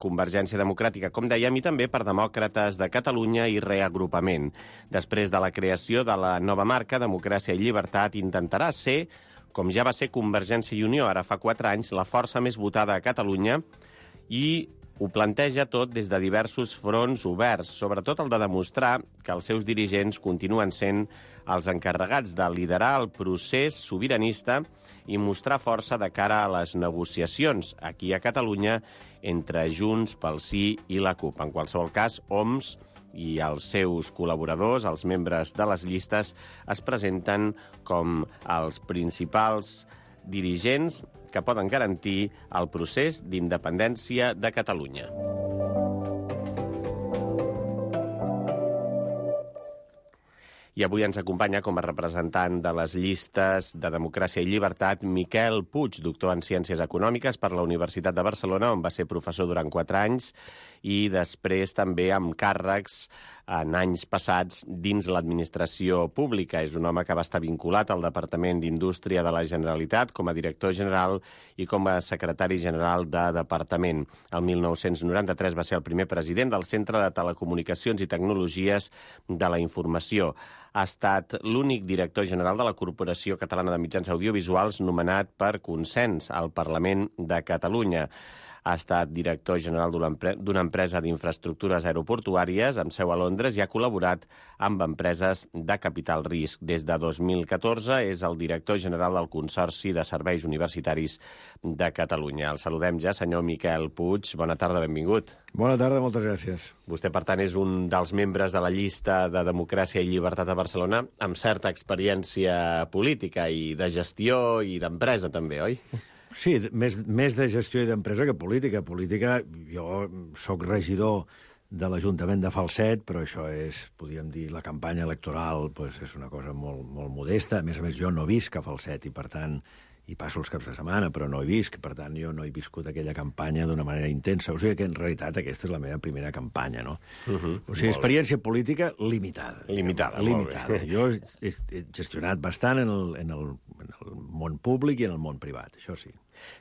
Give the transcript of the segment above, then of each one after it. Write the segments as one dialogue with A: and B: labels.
A: Convergència Democràtica, com dèiem, i també per Demòcrates de Catalunya i Reagrupament. Després de la creació de la nova marca, Democràcia i Llibertat intentarà ser, com ja va ser Convergència i Unió ara fa 4 anys, la força més votada a Catalunya, i ho planteja tot des de diversos fronts oberts, sobretot el de demostrar que els seus dirigents continuen sent els encarregats de liderar el procés sobiranista i mostrar força de cara a les negociacions aquí a Catalunya entre Junts pel Sí i la CUP. En qualsevol cas, Homs i els seus col·laboradors, els membres de les llistes, es presenten com els principals dirigents que poden garantir el procés d'independència de Catalunya. I avui ens acompanya com a representant de les llistes de Democràcia i Llibertat Miquel Puig, doctor en Ciències Econòmiques per la Universitat de Barcelona, on va ser professor durant 4 anys, i després també amb càrrecs en anys passats dins l'administració pública. És un home que va estar vinculat al Departament d'Indústria de la Generalitat com a director general i com a secretari general de departament. El 1993 va ser el primer president del Centre de Telecomunicacions i Tecnologies de la Informació. Ha estat l'únic director general de la Corporació Catalana de Mitjans Audiovisuals nomenat per consens al Parlament de Catalunya. Ha estat director general d'una empresa d'infraestructures aeroportuàries amb seu a Londres i ha col·laborat amb empreses de capital risc. Des de 2014 és el director general del Consorci de Serveis Universitaris de Catalunya. El saludem ja, senyor Miquel Puig. Bona tarda, benvingut.
B: Bona tarda, moltes gràcies.
A: Vostè, per tant, és un dels membres de la llista de Democràcia i Llibertat a Barcelona amb certa experiència política i de gestió i d'empresa també, oi?
B: Sí, més de gestió i d'empresa que política. Política, jo sóc regidor de l'Ajuntament de Falset, però això és, podríem dir, la campanya electoral pues, és una cosa molt, molt modesta. A més, jo no visc a Falset i, per tant, hi passo els caps de setmana, però no hi visc. Per tant, jo no he viscut aquella campanya d'una manera intensa. O sigui que, en realitat, aquesta és la meva primera campanya, no? O sigui, experiència política limitada.
A: Limitada.
B: Jo he gestionat bastant en el món públic i en el món privat, això sí.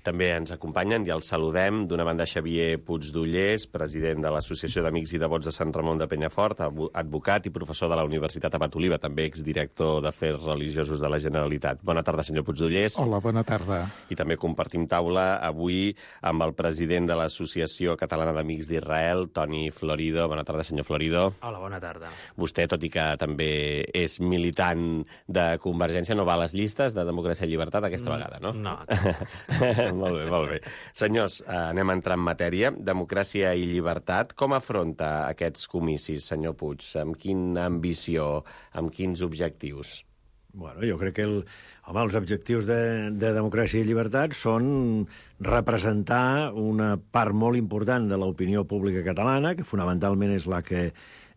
A: També ens acompanyen i els saludem d'una banda Xavier Puigdollers, president de l'Associació d'Amics i Devots de Sant Ramon de Penyafort, advocat i professor de la Universitat Abat Oliva, també exdirector d'Afers Religiosos de la Generalitat. Bona tarda, senyor Puigdollers.
C: Hola, bona tarda.
A: I també compartim taula avui amb el president de l'Associació Catalana d'Amics d'Israel, Toni Florido. Bona tarda, senyor Florido.
D: Hola, bona tarda.
A: Vostè, tot i que també és militant de Convergència, no va a les llistes de Democràcia i Llibertat aquesta vegada, no?
D: No.
A: Molt bé. Senyors, anem a entrar en matèria. Democràcia i Llibertat, com afronta aquests comicis, senyor Puig? Amb quina ambició, amb quins objectius?
B: Bueno, jo crec que els objectius de Democràcia i Llibertat són representar una part molt important de l'opinió pública catalana, que fonamentalment és la que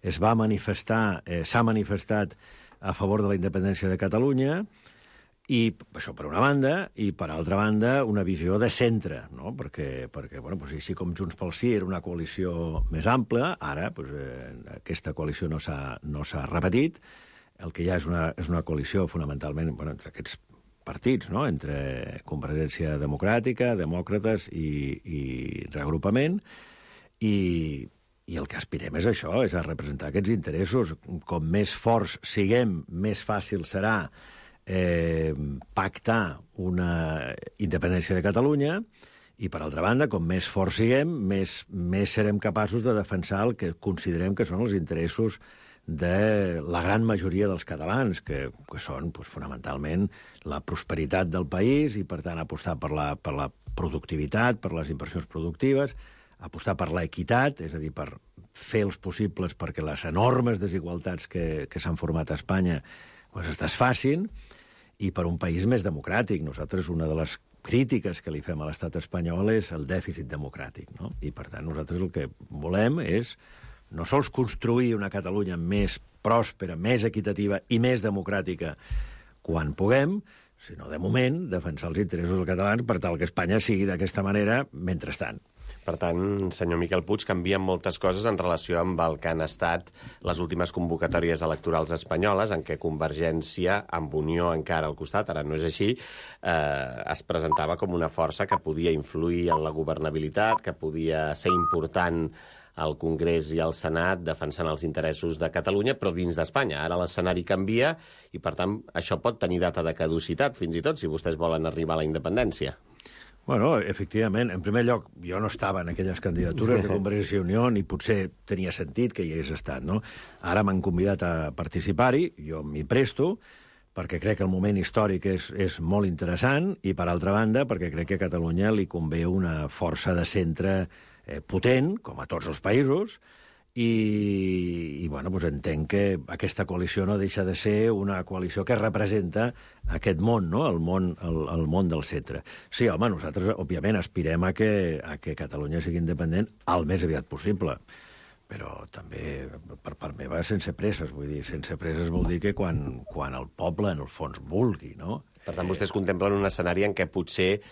B: es va manifestar, s'ha manifestat a favor de la independència de Catalunya, i això per una banda, i per altra banda una visió de centre, no? perquè bueno, doncs, així com Junts pel Sí era una coalició més ampla, ara doncs, aquesta coalició no s'ha repetit, el que hi ha és una coalició fonamentalment entre aquests partits, no? Entre Convergència Democràtica, Demòcrates i Reagrupament, i el que aspirem és això, és a representar aquests interessos. Com més forts siguem, més fàcil serà pactar una independència de Catalunya i, per altra banda, com més forts siguem, més serem capaços de defensar el que considerem que són els interessos de la gran majoria dels catalans, que són fonamentalment la prosperitat del país i, per tant, apostar per la productivitat, per les inversions productives, apostar per l'equitat, és a dir, per fer els possibles perquè les enormes desigualtats que s'han format a Espanya es desfacin, i per un país més democràtic. Nosaltres, una de les crítiques que li fem a l'estat espanyol és el dèficit democràtic, no? I, per tant, nosaltres el que volem és no sols construir una Catalunya més pròspera, més equitativa i més democràtica quan puguem, sinó, de moment, defensar els interessos dels catalans per tal que Espanya sigui d'aquesta manera mentrestant.
A: Per tant, senyor Miquel Puig, canvien moltes coses en relació amb el que han estat les últimes convocatòries electorals espanyoles, en què Convergència, amb Unió encara al costat, ara no és així, es presentava com una força que podia influir en la governabilitat, que podia ser important al Congrés i al Senat defensant els interessos de Catalunya, però dins d'Espanya. Ara l'escenari canvia i, per tant, això pot tenir data de caducitat, fins i tot, si vostès volen arribar a la independència.
B: Bueno, efectivament, en primer lloc, jo no estava en aquelles candidatures de Convergència i Unió, ni potser tenia sentit que hi hagués estat, no? Ara m'han convidat a participar-hi, jo m'hi presto, perquè crec que el moment històric és molt interessant, i, per altra banda, perquè crec que a Catalunya li convé una força de centre potent, com a tots els països, i bueno, doncs entenc que aquesta coalició no deixa de ser una coalició que representa aquest món, no? el món del centre. Sí, home, nosaltres, òbviament, aspirem a que Catalunya sigui independent el més aviat possible, però també, per part meva, sense presses. Vull dir, sense presses vol dir que quan el poble, en el fons, vulgui, no?
A: Per tant, vostès contemplen un escenari en què potser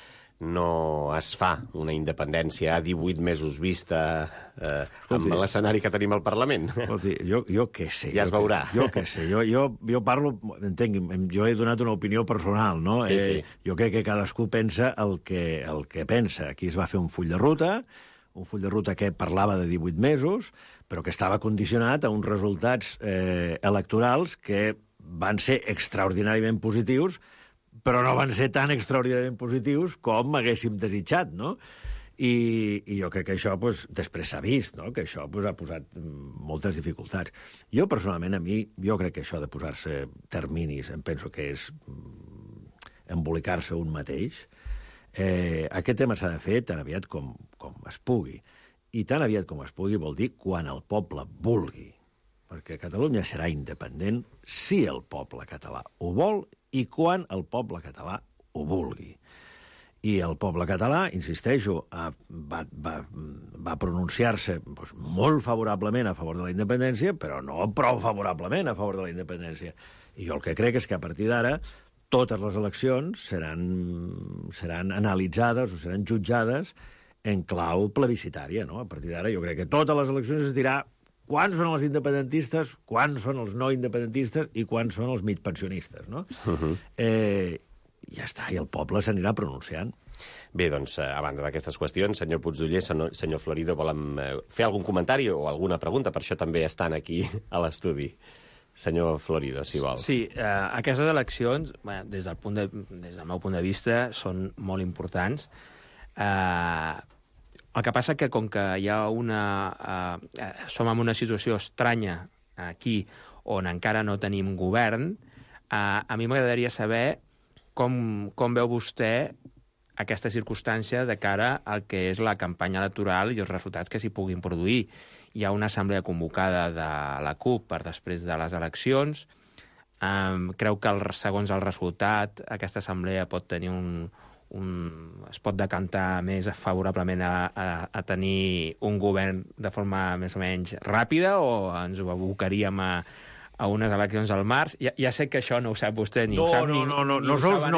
A: no es fa una independència a 18 mesos vista amb l'escenari que tenim al Parlament.
B: Escolti, jo què sé.
A: Ja es veurà.
B: Jo què sé. Jo parlo, entenc, jo he donat una opinió personal, no?
A: Sí.
B: Jo crec que cadascú pensa el que pensa. Aquí es va fer un full de ruta que parlava de 18 mesos, però que estava condicionat a uns resultats electorals que van ser extraordinàriament positius, però no van ser tan extraordinàriament positius com haguéssim desitjat, no? I jo crec que això, després s'ha vist, no? Que això ha posat moltes dificultats. Jo, personalment, jo crec que això de posar-se terminis, em penso que és embolicar-se un mateix. Aquest tema s'ha de fer tan aviat com es pugui. I tan aviat com es pugui vol dir quan el poble vulgui. Perquè Catalunya serà independent si el poble català ho vol i quan el poble català ho vulgui. I el poble català, insisteixo, va pronunciar-se molt favorablement a favor de la independència, però no prou favorablement a favor de la independència. I jo el que crec és que a partir d'ara totes les eleccions seran analitzades o seran jutjades en clau plebiscitària, no? A partir d'ara jo crec que totes les eleccions es dirà quants són els independentistes, quants són els no independentistes i quants són els mig pensionistes, no? Ja està, i el poble s'anirà pronunciant.
A: Bé, doncs, a banda d'aquestes qüestions, senyor Puigdoller, senyor Florido, volem fer algun comentari o alguna pregunta? Per això també estan aquí a l'estudi. Senyor Florido, si vol.
C: Sí, aquestes eleccions, des del meu punt de vista, són molt importants. El que passa que, com que hi ha som en una situació estranya aquí, on encara no tenim govern, a mi m'agradaria saber com veu vostè aquesta circumstància de cara al que és la campanya electoral i els resultats que s'hi puguin produir. Hi ha una assemblea convocada de la CUP per després de les eleccions. Creu que, segons el resultat, aquesta assemblea pot tenir es pot decantar més favorablement a tenir un govern de forma més o menys ràpida, o ens abocaríem a unes eleccions al març? Ja sé que això no ho sap vostè, ni ho sap ni...
B: No sols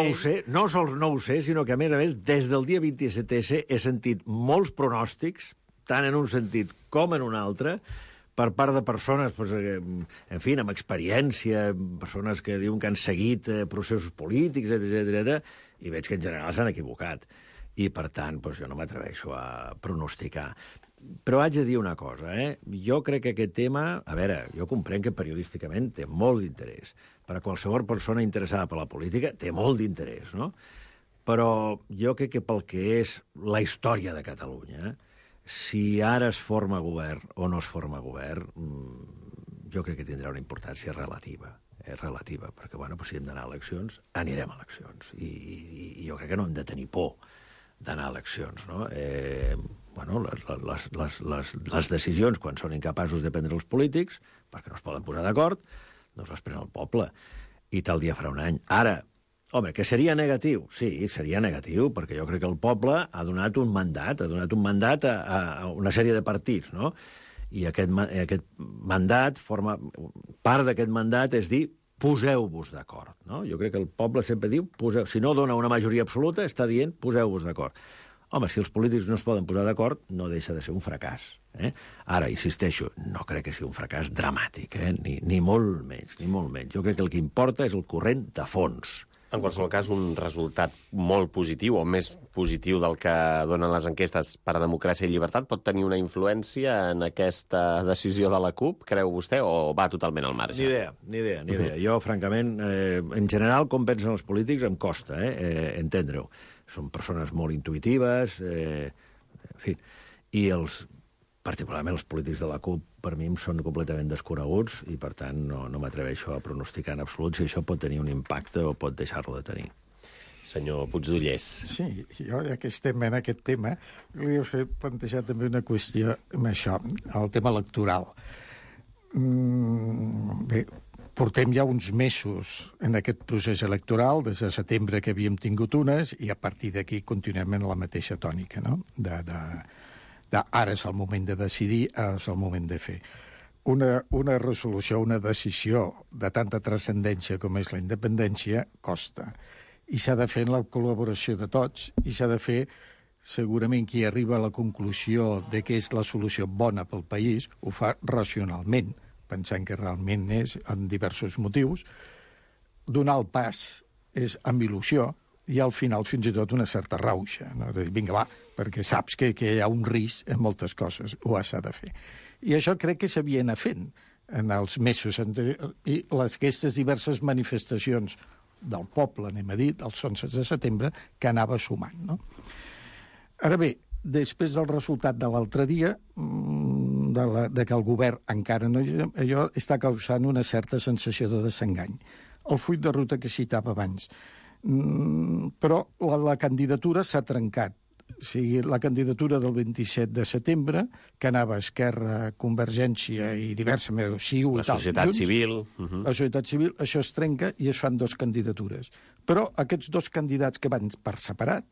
B: no ho sé, sinó que, a més, des del dia 27S he sentit molts pronòstics, tant en un sentit com en un altre, per part de persones, en fi, amb experiència, persones que diuen que han seguit processos polítics, etc. I veig que en general s'han equivocat. I, per tant, jo no m'atreveixo a pronosticar. Però haig de dir una cosa, Jo crec que aquest tema... A veure, jo comprenc que periodísticament té molt d'interès. Per a qualsevol persona interessada per la política té molt d'interès, no? Però jo crec que pel que és la història de Catalunya, si ara es forma govern o no es forma govern, jo crec que tindrà una importància relativa. Relativa, perquè, si hem d'anar a eleccions, anirem a eleccions. I jo crec que no hem de tenir por d'anar a eleccions, no? Les decisions, quan són incapaços de prendre els polítics, perquè no es poden posar d'acord, doncs les pren el poble. I tal dia farà un any. Ara, home, que seria negatiu? Sí, seria negatiu, perquè jo crec que el poble ha donat un mandat, a una sèrie de partits, no? I aquest mandat part d'aquest mandat és dir, poseu-vos d'acord, no? Jo crec que el poble sempre diu, si no dona una majoria absoluta, està dient, poseu-vos d'acord. home, si els polítics no es poden posar d'acord, no deixa de ser un fracàs. Ara, insisteixo, no crec que sigui un fracàs dramàtic, ni molt menys, ni molt menys. Jo crec que el que importa és el corrent de fons.
A: En qualsevol cas, un resultat molt positiu, o més positiu del que donen les enquestes per a Democràcia i Llibertat, pot tenir una influència en aquesta decisió de la CUP, creu vostè, o va totalment al marge?
B: Ni idea. Jo, francament, en general, com pensen els polítics, em costa entendre-ho. Són persones molt intuïtives, en fi, i particularment els polítics de la CUP, per mi, són completament desconeguts i, per tant, no m'atreveixo a pronosticar en absolut si això pot tenir un impacte o pot deixar-lo de tenir.
A: Senyor Puigdollers.
D: Sí, jo, ja que estem en aquest tema, volia plantejar també una qüestió amb això, el tema electoral. Bé, portem ja uns mesos en aquest procés electoral, des de setembre que havíem tingut unes, i a partir d'aquí continuem en la mateixa tònica, no?, ara és el moment de decidir, ara és el moment de fer. Una resolució, una decisió de tanta transcendència com és la independència, costa. I s'ha de fer en la col·laboració de tots, i s'ha de fer, segurament, qui arriba a la conclusió de que és la solució bona pel país, ho fa racionalment, pensant que realment és, en diversos motius. Donar el pas és amb il·lusió, i al final fins i tot una certa rauxa, no? De dir, vinga, va, perquè saps que hi ha un risc en moltes coses, ho s'ha de fer. I això crec que s'havia anat fent en els mesos anteriors, i aquestes diverses manifestacions del poble, anem a dir, dels 11 de setembre, que anava sumant, no? Ara bé, després del resultat de l'altre dia, de que el govern encara no... Allò està causant una certa sensació de desengany. El full de ruta que citava abans. Però la candidatura s'ha trencat. O sigui, la candidatura del 27 de setembre, que anava a Esquerra, Convergència i diverses...
A: La societat civil.
D: La societat civil, això es trenca i es fan dues candidatures. Però aquests dos candidats que van per separat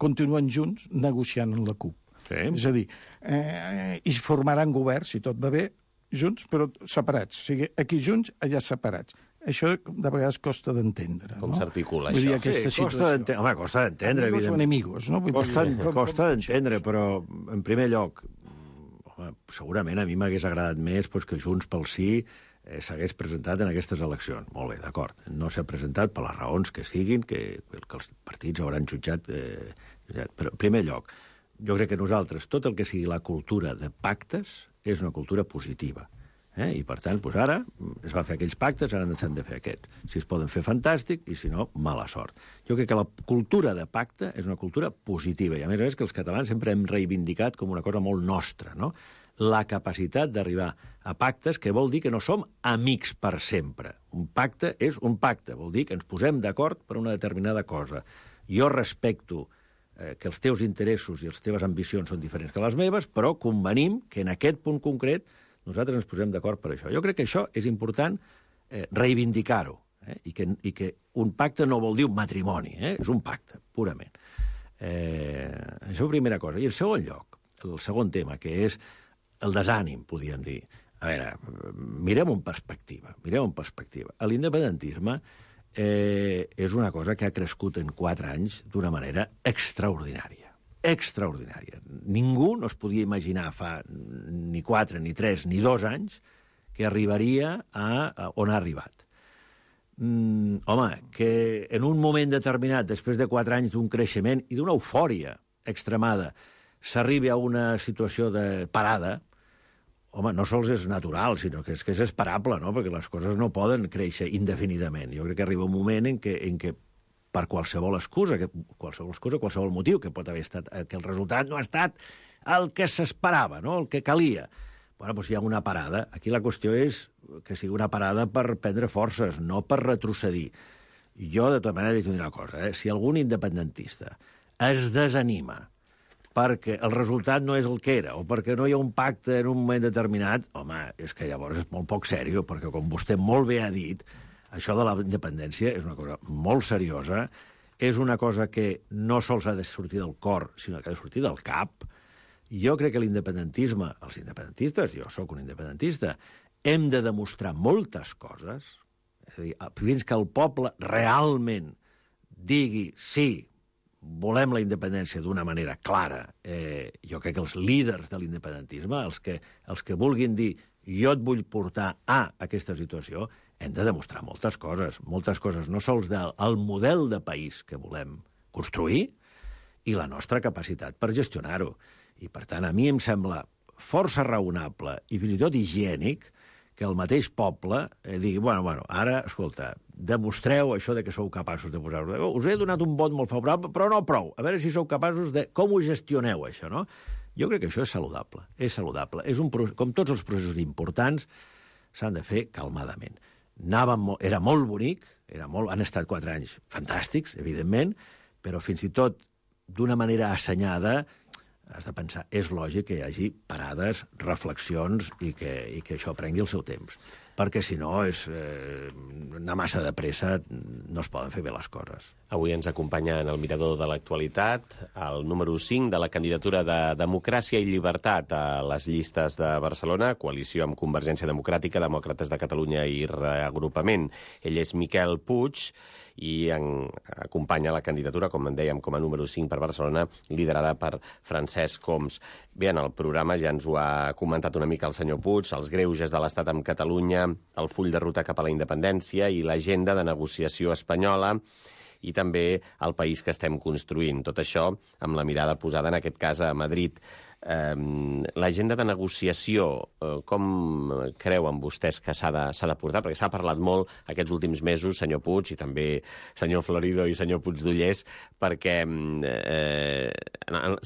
D: continuen junts negociant amb la CUP.
B: Sí.
D: És a dir, i formaran govern, si tot va bé, junts però separats. O sigui, aquí junts, allà separats. Això de vegades costa d'entendre.
A: Com s'articula
D: això?
B: Sí, costa d'entendre,
D: evidentment. Són enemigos, no?
B: Costa d'entendre, però, en primer lloc, segurament a mi m'hagués agradat més que Junts pel Sí s'hagués presentat en aquestes eleccions. Molt bé, d'acord. No s'ha presentat per les raons que siguin, que els partits hauran jutjat. Però, en primer lloc, jo crec que nosaltres, tot el que sigui la cultura de pactes, és una cultura positiva. I, per tant, ara es van fer aquells pactes, ara s'han de fer aquests. Si es poden fer, fantàstic, i si no, mala sort. Jo crec que la cultura de pacte és una cultura positiva, i a més que els catalans sempre hem reivindicat com una cosa molt nostra, no? La capacitat d'arribar a pactes, que vol dir que no som amics per sempre. Un pacte és un pacte, vol dir que ens posem d'acord per una determinada cosa. Jo respecto que els teus interessos i les teves ambicions són diferents que les meves, però convenim que en aquest punt concret nosaltres ens posem d'acord per això. Jo crec que això és important reivindicar-ho, i que un pacte no vol dir un matrimoni, és un pacte, purament. Això és la primera cosa. I en segon lloc, el segon tema, que és el desànim, podríem dir. A veure, mirem en perspectiva. L'independentisme és una cosa que ha crescut en 4 anys d'una manera extraordinària. Ningú no es podia imaginar fa ni 4, ni 3, ni 2 anys que arribaria a on ha arribat. Home, que en un moment determinat, després de 4 anys d'un creixement i d'una eufòria extremada, s'arribi a una situació de parada, home, no sols és natural, sinó que és esperable, no? Perquè les coses no poden créixer indefinidament. Jo crec que arriba un moment en què per qualsevol excusa, qualsevol motiu, que pot haver estat que el resultat no ha estat el que s'esperava, no? El que calia. Bueno, doncs hi ha una parada. Aquí la qüestió és que sigui una parada per prendre forces, no per retrocedir. Jo, de tota manera, dic una cosa, si algun independentista es desanima perquè el resultat no és el que era, o perquè no hi ha un pacte en un moment determinat, home, és que llavors és molt poc seriós, perquè com vostè molt bé ha dit, això de la independència és una cosa molt seriosa, és una cosa que no sols ha de sortir del cor, sinó que ha de sortir del cap. Jo crec que l'independentisme, els independentistes, jo sóc un independentista, hem de demostrar moltes coses, és a dir, fins que el poble realment digui sí, volem la independència d'una manera clara. Jo crec que els líders de l'independentisme, els que vulguin dir jo et vull portar a aquesta situació, hem de demostrar moltes coses, no sols del model de país que volem construir i la nostra capacitat per gestionar-ho. I, per tant, a mi em sembla força raonable i fins i tot higiènic que el mateix poble digui, bueno, ara, escolta, demostreu això de que sou capaços de posar-ho. Us he donat un vot molt favorable, però no prou. A veure si sou capaços de... Com ho gestioneu, això, no? Jo crec que això és saludable. És saludable. Com tots els processos importants, s'han de fer calmadament. Era molt bonic, han estat 4 anys fantàstics, evidentment, però fins i tot d'una manera assenyada has de pensar, és lògic que hi hagi parades, reflexions i que això prengui el seu temps. Perquè, si no, és anar massa de pressa, no es poden fer bé les coses.
A: Avui ens acompanya en el mirador de l'actualitat el número 5 de la candidatura de Democràcia i Llibertat a les llistes de Barcelona, coalició amb Convergència Democràtica, Demòcrates de Catalunya i Reagrupament. Ell és Miquel Puig i acompanya la candidatura, com en dèiem, com a número 5 per Barcelona, liderada per Francesc Homs. Bé, en el programa ja ens ho ha comentat una mica el senyor Puig, els greuges de l'Estat amb Catalunya, el full de ruta cap a la independència i l'agenda de negociació espanyola i també el país que estem construint. Tot això amb la mirada posada, en aquest cas, a Madrid. L'agenda de negociació, com creuen vostès que s'ha de portar? Perquè s'ha parlat molt aquests últims mesos, senyor Puig, i també senyor Florido i senyor Puigdollers, perquè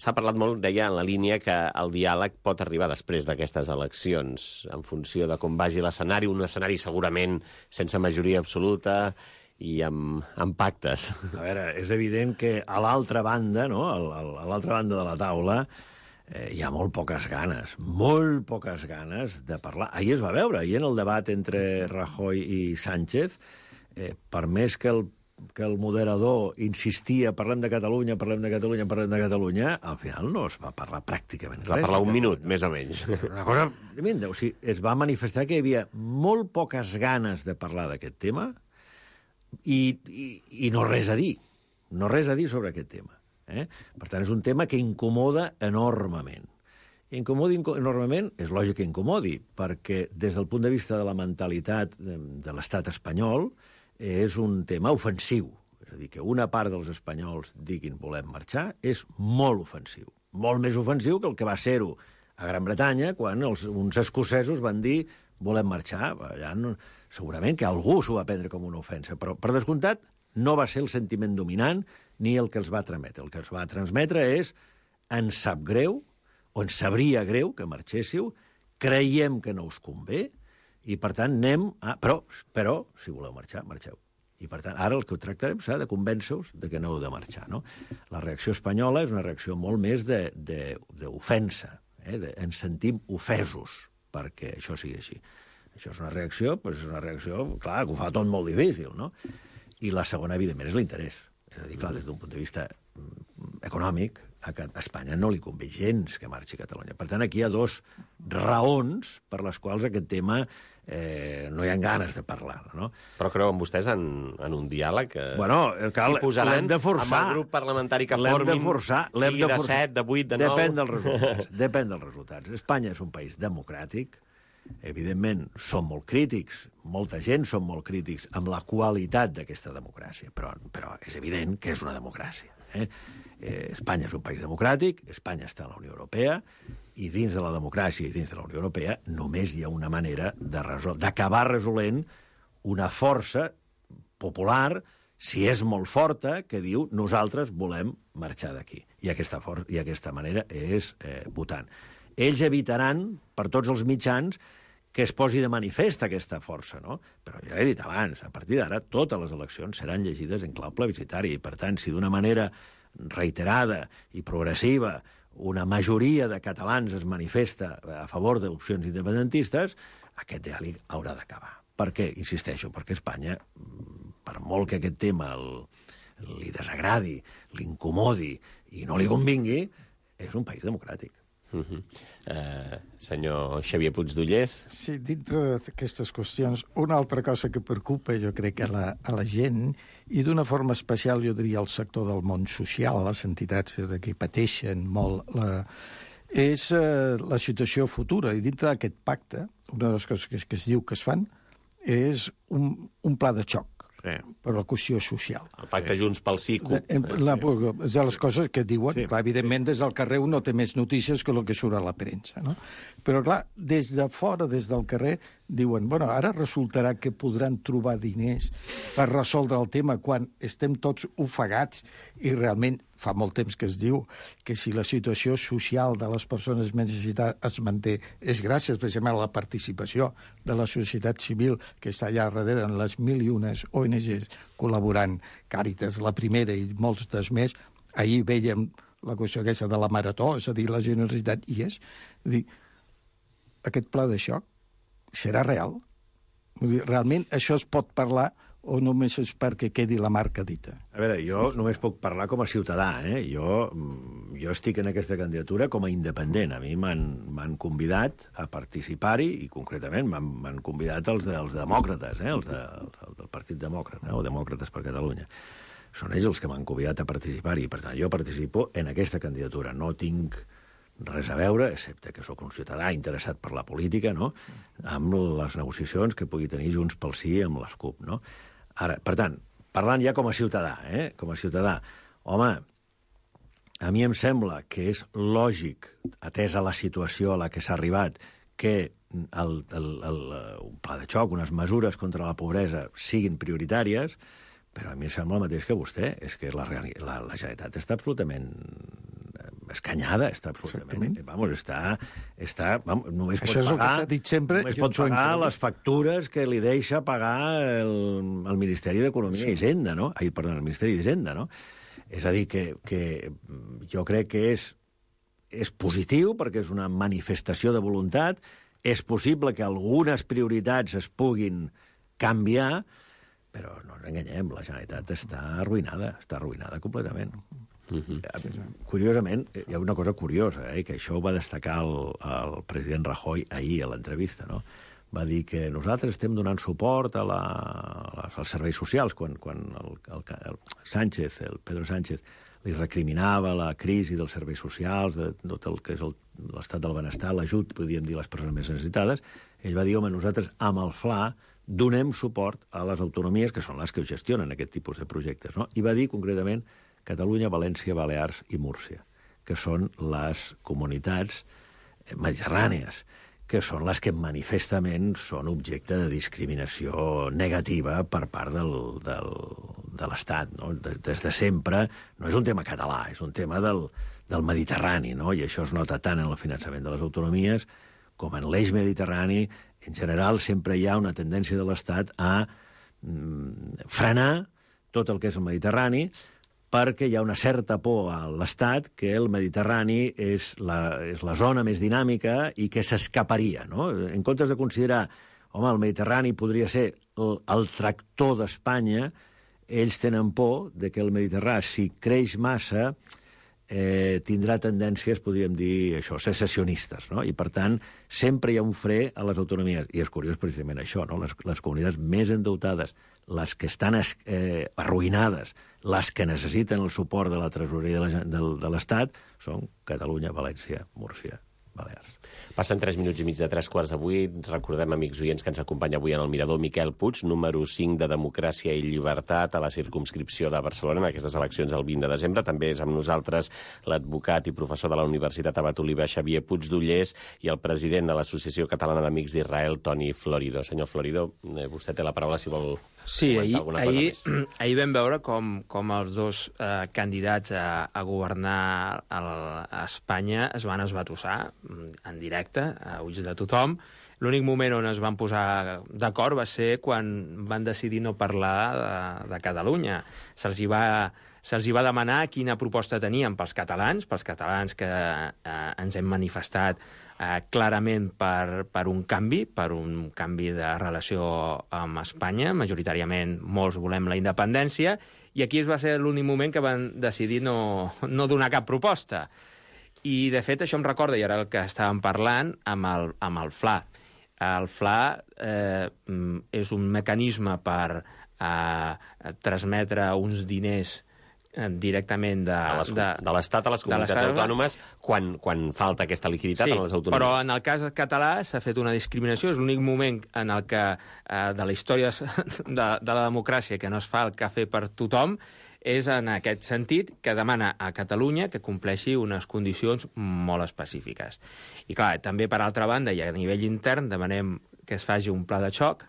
A: s'ha parlat molt, deia, en la línia que el diàleg pot arribar després d'aquestes eleccions, en funció de com vagi l'escenari, un escenari segurament sense majoria absoluta i amb pactes.
B: A veure, és evident que a l'altra banda, no?, a l'altra banda de la taula, hi ha molt poques ganes de parlar. Ahir es va veure, ahir en el debat entre Rajoy i Sánchez, per més que el moderador insistia parlem de Catalunya, al final no es va parlar pràcticament res.
A: Es va parlar un minut, més o menys.
B: Una cosa tremenda. O sigui, es va manifestar que hi havia molt poques ganes de parlar d'aquest tema i no res a dir. No res a dir sobre aquest tema. Per tant, és un tema que incomoda enormement. Enormement, és lògic que incomodi, perquè des del punt de vista de la mentalitat de l'estat espanyol és un tema ofensiu. És a dir, que una part dels espanyols diguin volem marxar és molt ofensiu. Molt més ofensiu que el que va ser-ho a Gran Bretanya, quan uns escocesos van dir volem marxar. Allà segurament que algú s'ho va prendre com una ofensa, però per descomptat no va ser el sentiment dominant ni el que els va transmetre. El que els va transmetre és ens sap greu, o ens sabria greu que marxéssiu, creiem que no us convé, i per tant anem a... Però si voleu marxar, marxeu. I per tant, ara el que ho tractarem serà de convèncer-vos de que no heu de marxar, no? La reacció espanyola és una reacció molt més d'ofensa. Ens sentim ofesos perquè això sigui així. Això és una reacció, clar, que ho fa tot molt difícil, no? I la segona, evidentment, és l'interès. És a dir, clar, des d'un punt de vista econòmic, a Espanya no li convé gens que marxi Catalunya. Per tant, aquí hi ha 2 raons per les quals aquest tema no hi ha ganes de parlar, no?
A: Però creuen vostès en un diàleg?
B: Bueno, l'hem de forçar.
A: Amb el grup parlamentari que formin, sigui de 7, de 8, de 9...
B: Depèn dels resultats. Espanya és un país democràtic. Evidentment, som molt crítics, molta gent som molt crítics amb la qualitat d'aquesta democràcia, però és evident que és una democràcia. Espanya és un país democràtic, Espanya està a la Unió Europea, i dins de la democràcia i dins de la Unió Europea només hi ha una manera d'acabar resolent una força popular, si és molt forta, que diu nosaltres volem marxar d'aquí. I aquesta manera és votant. Ells evitaran, per tots els mitjans, que es posi de manifest aquesta força, no? Però ja he dit abans, a partir d'ara, totes les eleccions seran llegides en clau plebiscitari, i per tant, si d'una manera reiterada i progressiva una majoria de catalans es manifesta a favor d'opcions independentistes, aquest diàleg haurà d'acabar. Per què? Insisteixo, perquè Espanya, per molt que aquest tema li desagradi, l'incomodi i no li convingui, és un país democràtic.
A: Senyor Xavier Puigdollers?
D: Sí, dintre d'aquestes qüestions, una altra cosa que preocupa, jo crec, a la gent, i d'una forma especial, jo diria, al sector del món social, les entitats que pateixen molt, és la situació futura. I dintre d'aquest pacte, una de les coses que es diu que es fan és un pla de xoc per la qüestió social.
A: El pacte Junts pel Sí, CUP.
D: És de les coses que diuen, clar, evidentment, des del carrer un no té més notícies que el que surt a la premsa, no? Però, clar, des de fora, des del carrer, diuen, bueno, ara resultarà que podran trobar diners per resoldre el tema quan estem tots ofegats i realment fa molt temps que es diu que si la situació social de les persones més necessitades es manté és gràcies precisament a la participació de la societat civil que està allà darrere en les 1.001 ONGs col·laborant, Càritas, la primera i molts des més. Ahir vèiem la qüestió aquesta de la marató, és a dir, la generositat hi és. És a dir, aquest pla de xoc serà real? Vull dir, realment això es pot parlar o només és perquè quedi la marca dita?
B: A veure, jo només puc parlar com a ciutadà, eh? Jo estic en aquesta candidatura com a independent. A mi m'han convidat a participar-hi i, concretament, m'han convidat els demòcrates, els del Partit Demòcrata, o Demòcrates per Catalunya. Són ells els que m'han convidat a participar-hi. Per tant, jo participo en aquesta candidatura. No tinc res a veure, excepte que sóc un ciutadà interessat per la política, no?, amb les negociacions que pugui tenir Junts pel Sí amb les CUP, no? Ara, per tant, parlant ja com a ciutadà, com a ciutadà, home, a mi em sembla que és lògic, atesa la situació a la que s'ha arribat, que un pla de xoc, unes mesures contra la pobresa siguin prioritàries, però a mi em sembla el mateix que vostè, és que la Generalitat està absolutament escanyada, està absolutament... Vamos, només
D: això és el que s'ha dit sempre.
B: Només pot pagar les factures que li deixa pagar el Ministeri d'Economia i Hisenda, no? El Ministeri d'Hisenda, no? És a dir, que jo crec que és positiu, perquè és una manifestació de voluntat, és possible que algunes prioritats es puguin canviar, però no ens enganyem, la Generalitat està arruïnada completament. Curiosament, hi ha una cosa curiosa, que això ho va destacar el president Rajoy ahir a l'entrevista, no? Va dir que nosaltres estem donant suport als serveis socials, quan el Pedro Sánchez li recriminava la crisi dels serveis socials, de tot el que és l'estat del benestar, l'ajut, podríem dir, a les persones més necessitades. Ell va dir, home, nosaltres amb el FLA donem suport a les autonomies, que són les que gestionen aquest tipus de projectes, no? I va dir, concretament, Catalunya, València, Balears i Múrcia, que són les comunitats mediterrànies, que són les que manifestament són objecte de discriminació negativa per part de l'Estat, no? Des de sempre no és un tema català, és un tema del Mediterrani, no? I això es nota tant en el finançament de les autonomies com en l'eix mediterrani. En general, sempre hi ha una tendència de l'Estat a frenar tot el que és el Mediterrani, perquè hi ha una certa por a l'Estat que el Mediterrani és la zona més dinàmica i que s'escaparia, no? En comptes de considerar, home, el Mediterrani podria ser el tractor d'Espanya, ells tenen por de que el Mediterrani, si creix massa, tindrà tendències, podríem dir, això, secessionistes, no? I, per tant, sempre hi ha un fre a les autonomies. I és curiós precisament això, no? Les comunitats més endeutades, les que estan arruïnades, les que necessiten el suport de la tresoreria de l'Estat, són Catalunya, València, Múrcia, Balears.
A: Passen 3 minuts i mig de 7:45. Recordem, amics oients, que ens acompanya avui en el Mirador Miquel Puig, número 5 de Democràcia i Llibertat a la circumscripció de Barcelona en aquestes eleccions del 20 de desembre. També és amb nosaltres l'advocat i professor de la Universitat Abat Oliva, Xavier Puigdollers, i el president de l'Associació Catalana d'Amics d'Israel, Toni Florido. Senyor Florido, vostè té la paraula si vol comentar alguna cosa més.
C: Ahir vam veure com els dos candidats a governar a Espanya es van esbatussar en directe, a ulls de tothom. L'únic moment on es van posar d'acord va ser quan van decidir no parlar de Catalunya. Se'ls hi va demanar quina proposta tenien pels catalans que ens hem manifestat clarament per un canvi de relació amb Espanya. Majoritàriament molts volem la independència, i aquí va ser l'únic moment que van decidir no donar cap proposta. I, de fet, això em recorda, i ara el que estàvem parlant, amb el FLA. El FLA és un mecanisme per transmetre uns diners directament de
A: l'Estat a les comunitats autònomes quan falta aquesta liquiditat en les autonomies.
C: Però en el cas català s'ha fet una discriminació. És l'únic moment en el que de la història de la democràcia que no es fa el cafè per tothom és en aquest sentit que demana a Catalunya que compleixi unes condicions molt específiques. I clar, també per altra banda i a nivell intern demanem que es faci un pla de xoc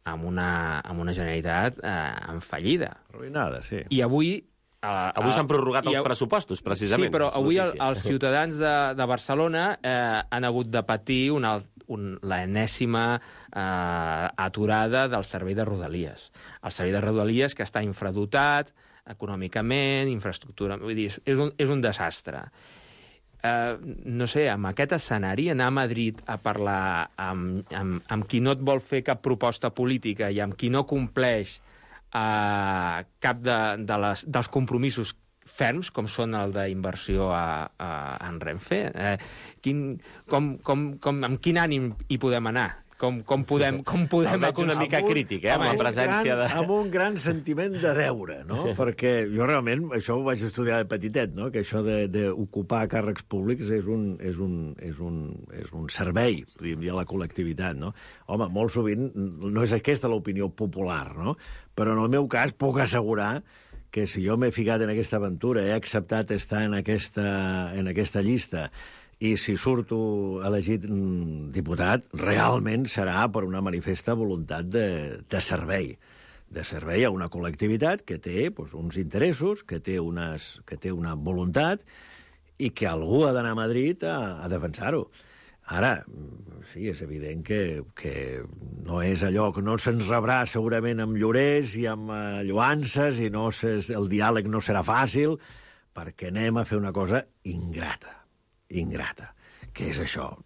C: amb una Generalitat en fallida.
B: Arruïnada, sí.
C: I avui
A: s'han prorrogat els pressupostos, precisament.
C: Sí, però avui els ciutadans de Barcelona han hagut de patir l'enèsima aturada del servei de Rodalies. El servei de Rodalies que està infradotat econòmicament, infraestructura... Vull dir, és un desastre. No sé, amb aquest escenari, anar a Madrid a parlar amb qui no et vol fer cap proposta política i amb qui no compleix cap dels compromisos ferms, com són el d'inversió en Renfe. Amb quin ànim hi podem anar? Com podem
A: veig una mica crític, amb la presència de...
B: Amb un gran sentiment de deure, no? Perquè jo realment, això ho vaig estudiar de petitet, no? Que això d'ocupar càrrecs públics és un servei, podríem dir, a la col·lectivitat, no? Home, molt sovint no és aquesta l'opinió popular, no? Però en el meu cas puc assegurar que si jo m'he ficat en aquesta aventura, he acceptat estar en aquesta llista, i si surto elegit diputat, realment serà per una manifesta voluntat de servei a una col·lectivitat que té uns interessos, que té una voluntat i que algú ha d'anar a Madrid a defensar-ho. Ara, sí, és evident que no és allò que no se'ns rebrà segurament amb llorers i amb lloances i el diàleg no serà fàcil perquè anem a fer una cosa ingrata. Què és això?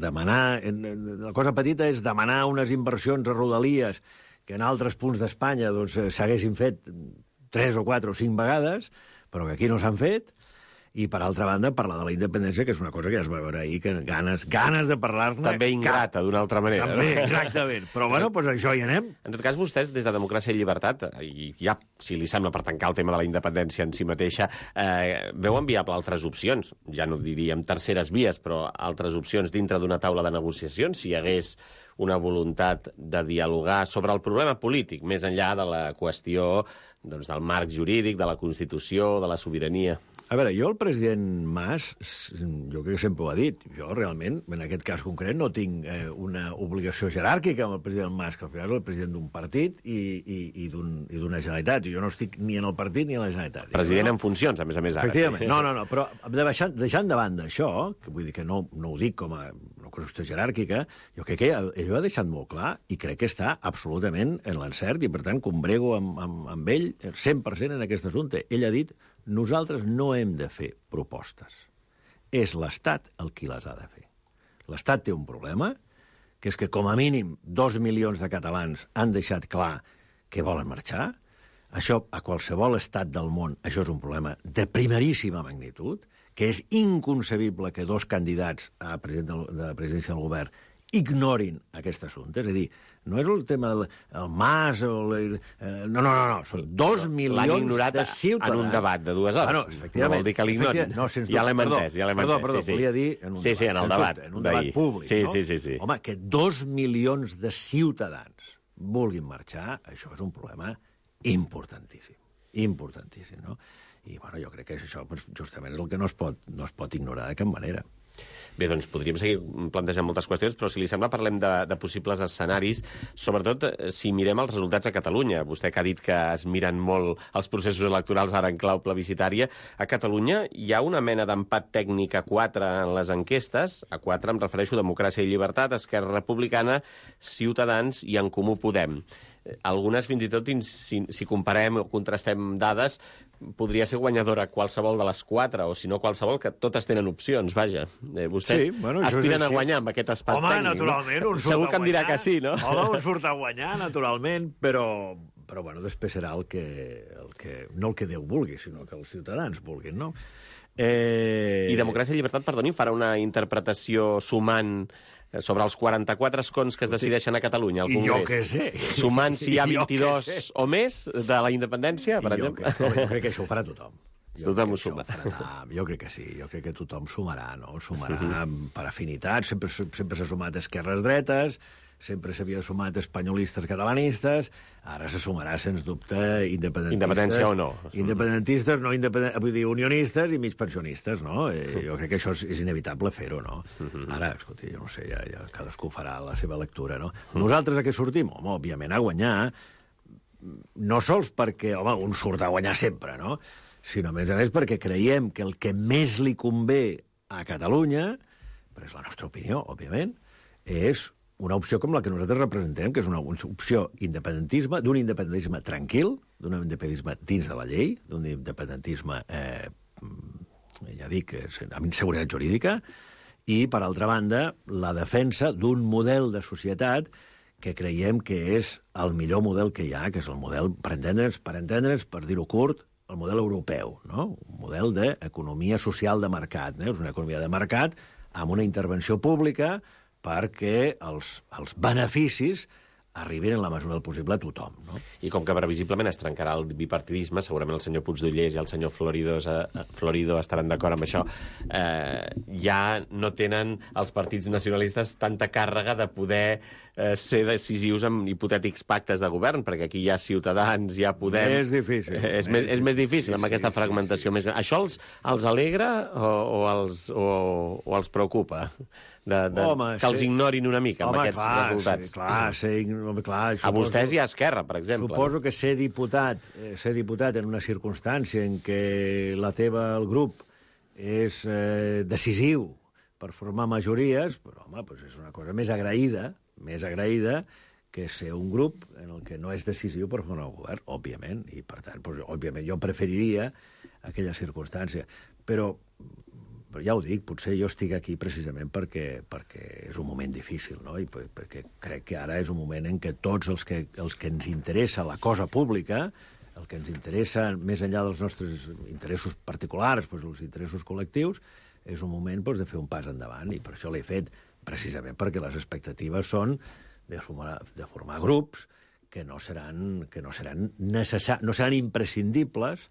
B: Demanar... La cosa petita és demanar unes inversions a Rodalies que en altres punts d'Espanya s'haguessin fet 3 o 4 o 5 vegades, però que aquí no s'han fet, i, per altra banda, parlar de la independència, que és una cosa que ja es va veure ahir, que ganes de parlar-ne...
A: També ingrata, d'una altra manera.
B: També, exactament. Però, bueno, doncs això hi anem.
A: En tot cas, vostès, des de Democràcia i Llibertat, i ja, si li sembla, per tancar el tema de la independència en si mateixa, veuen viable altres opcions. Ja no diríem terceres vies, però altres opcions dintre d'una taula de negociacions, si hi hagués una voluntat de dialogar sobre el problema polític, més enllà de la qüestió del marc jurídic, de la Constitució, de la sobirania.
B: A veure, jo el president Mas, jo crec que sempre ho ha dit, jo realment, en aquest cas concret, no tinc una obligació jeràrquica amb el president Mas, que al final és el president d'un partit i d'una Generalitat. Jo no estic ni en el partit ni en la Generalitat.
A: President en funcions, a més, ara.
B: Efectivament. No, però deixant de banda això, que vull dir que no ho dic com a una qüestió jeràrquica, jo crec que ell ho ha deixat molt clar i crec que està absolutament en l'encert i, per tant, combrego amb ell 100% en aquest assumpte. Ell ha dit: nosaltres no hem de fer propostes. És l'Estat el qui les ha de fer. L'Estat té un problema, que és que com a mínim 2 milions de catalans han deixat clar que volen marxar. Això, a qualsevol estat del món, això és un problema de primeríssima magnitud, que és inconcebible que 2 candidats a president de la presidència del govern ignorin aquest assumpte. És a dir, no és el tema del Mas o... No. Són 2 milions de ciutadans.
A: En un debat de 2 hores. No vol dir que l'ignorin. Ja l'hem entès.
B: Perdó, volia dir en un debat.
A: Sí, en el debat.
B: En un debat públic, no?
A: Sí.
B: Home, que 2 milions de ciutadans vulguin marxar, això és un problema importantíssim. Importantíssim, no? I, bueno, jo crec que això justament és el que no es pot ignorar de cap manera.
A: Bé, doncs podríem seguir plantejant moltes qüestions, però si li sembla parlem de possibles escenaris, sobretot si mirem els resultats a Catalunya. Vostè que ha dit que es miren molt els processos electorals ara en clau plebiscitària. A Catalunya hi ha una mena d'empat tècnic a 4 en les enquestes. A 4 em refereixo a Democràcia i Llibertat, Esquerra Republicana, Ciutadans i En Comú Podem. Algunes, fins i tot, si comparem o contrastem dades, podria ser guanyadora qualsevol de les 4, o si no qualsevol, que totes tenen opcions, vaja. Vostès aspiren a guanyar amb aquest espai tècnic.
B: Home, naturalment, un surt a guanyar.
A: Segur que em dirà que sí, no?
B: Home, un surt a guanyar, naturalment, però bueno, després serà no el que Déu vulgui, sinó que els ciutadans vulguin, no?
A: I Democràcia i Llibertat, perdoni, farà una interpretació sumant sobre els 44 escons que es decideixen a Catalunya, al Congrés.
B: Jo què sé.
A: Sumant si hi ha 22 o més de la independència, per exemple.
B: Jo crec que això ho farà tothom.
A: Tothom ho suma.
B: Jo crec que sí, jo crec que tothom sumarà, no? Sumarà per afinitat, sempre s'ha sumat esquerres dretes, sempre s'havia sumat espanyolistes catalanistes, ara se sumarà, sens dubte, independentistes.
A: Independència o no.
B: Independentistes, no vull dir, unionistes i mig pensionistes, no? Jo crec que això és inevitable fer-ho, no? Ara, escolti, jo no sé, ja cadascú farà la seva lectura, no? Nosaltres a què sortim? Home, òbviament a guanyar, no sols perquè, home, un surt a guanyar sempre, no? Sinó, a més perquè creiem que el que més li convé a Catalunya, però és la nostra opinió, òbviament, és una opció com la que nosaltres representem, que és una opció independentisme, d'un independentisme tranquil, d'un independentisme dins de la llei, d'un independentisme, ja dic, amb inseguretat jurídica, i, per altra banda, la defensa d'un model de societat que creiem que és el millor model que hi ha, que és el model, per entendre's, per dir-ho curt, el model europeu, no? Un model d'economia social de mercat. És una economia de mercat amb una intervenció pública perquè els beneficis arribin en la mesura del possible a tothom. No?
A: I com que previsiblement es trencarà el bipartidisme, segurament el senyor Puigdollers i el senyor Florido estaran d'acord amb això, ja no tenen els partits nacionalistes tanta càrrega de poder ser decisius en hipotètics pactes de govern, perquè aquí hi ha Ciutadans, hi ha Podem...
B: És difícil.
A: És més difícil amb aquesta fragmentació. Sí. Això els alegra o els preocupa? Que els ignorin una mica amb aquests resultats.
B: Clar,
A: a vostès i a Esquerra, per exemple.
B: Suposo que ser diputat en una circumstància en què el grup és decisiu per formar majories, però, home, és una cosa més agraïda que ser un grup en el que no és decisiu per formar un govern, òbviament, i per tant, òbviament, jo preferiria aquella circumstància. Però ja ho dic, potser jo estic aquí precisament perquè és un moment difícil, no? I perquè crec que ara és un moment en què tots els que ens interessa la cosa pública, el que ens interessa més enllà dels nostres interessos particulars, els interessos col·lectius, és un moment de fer un pas endavant, i per això l'he fet precisament perquè les expectatives són de formar grups que no seran imprescindibles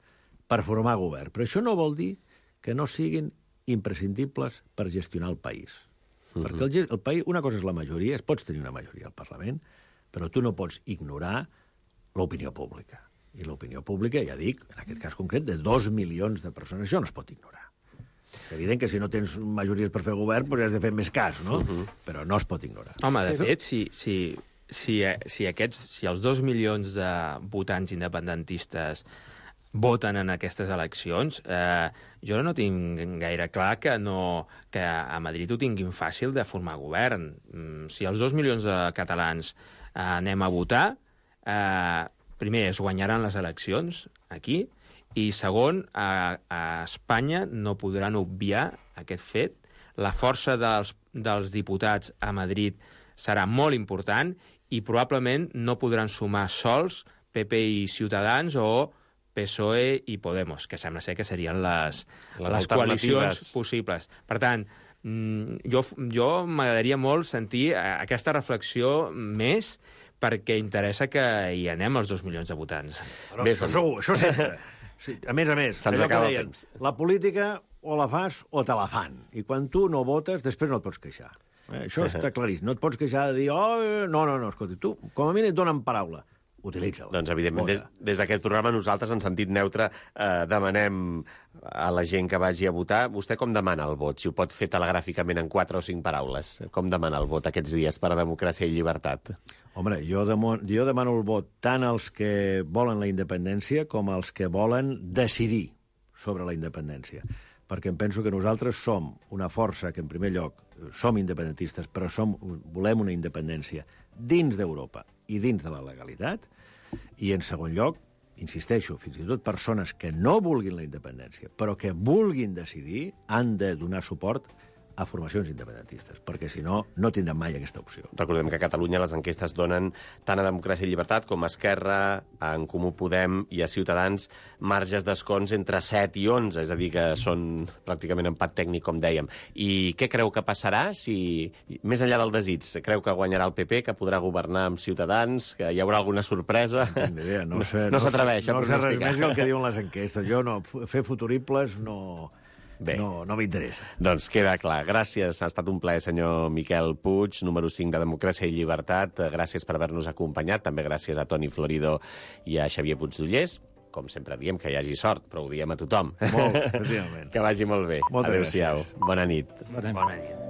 B: per formar govern. Però això no vol dir que no siguin imprescindibles per gestionar el país. Perquè el país, una cosa és la majoria, pots tenir una majoria al Parlament, però tu no pots ignorar l'opinió pública. I l'opinió pública, ja dic, en aquest cas concret, de 2 milions de persones, això no es pot ignorar. És evident que si no tens majories per fer govern, has de fer més cas, no? Però no es pot ignorar.
C: Home, de fet, si els 2 milions de votants independentistes voten en aquestes eleccions, jo no tinc gaire clar que a Madrid ho tinguin fàcil de formar govern. Si els 2 milions de catalans anem a votar, primer, es guanyaran les eleccions aquí, i segon, a Espanya no podran obviar aquest fet. La força dels diputats a Madrid serà molt important i probablement no podran sumar sols PP i Ciutadans o PSOE i Podemos, que sembla ser que serien les coalicions possibles. Per tant, jo m'agradaria molt sentir aquesta reflexió més, perquè interessa que hi anem els 2 milions de votants.
B: Bé, això sempre. Sí, a més,
A: se'ns acaba el temps.
B: La política o la fas o te la fan. I quan tu no votes, després no et pots queixar. Això està claríssim. No et pots queixar de dir, no, escolta, tu, com a mínim et donen paraula. Utilitza-la.
A: Doncs, evidentment, des d'aquest programa nosaltres, en sentit neutre, demanem a la gent que vagi a votar. Vostè com demana el vot? Si ho pot fer telegràficament en 4 o 5 paraules. Com demana el vot aquests dies per a democràcia i llibertat?
B: Home, jo demano el vot tant als que volen la independència com als que volen decidir sobre la independència. Perquè em penso que nosaltres som una força que, en primer lloc, som independentistes, però volem una independència dins d'Europa i dins de la legalitat, i, en segon lloc, insisteixo, fins i tot persones que no vulguin la independència, però que vulguin decidir, han de donar suport a formacions independentistes, perquè si no, no tindran mai aquesta opció.
A: Recordem que a Catalunya les enquestes donen tant a Democràcia i Llibertat com a Esquerra, a En Comú Podem i a Ciutadans marges d'escons entre 7 i 11, és a dir, que són pràcticament empat tècnic, com dèiem. I què creu que passarà si, més enllà del desig, creu que guanyarà el PP, que podrà governar amb Ciutadans, que hi haurà alguna sorpresa?
B: No
A: s'atreveix a pronosticar.
B: No sé res més que el que diuen les enquestes. Jo no, fer futuribles no...
A: Bé.
B: No m'interessa.
A: Doncs queda clar. Gràcies. Ha estat un plaer, senyor Miquel Puig, número 5 de Democràcia i Llibertat. Gràcies per haver-nos acompanyat. També gràcies a Toni Florido i a Xavier Puigdollers. Com sempre diem, que hi hagi sort, però ho diem a tothom.
B: Molt, efectivament.
A: Que vagi molt bé.
B: Moltes
A: Adéu-siau.
B: gràcies.
A: Bona nit.
D: Bona nit.
C: Bona nit.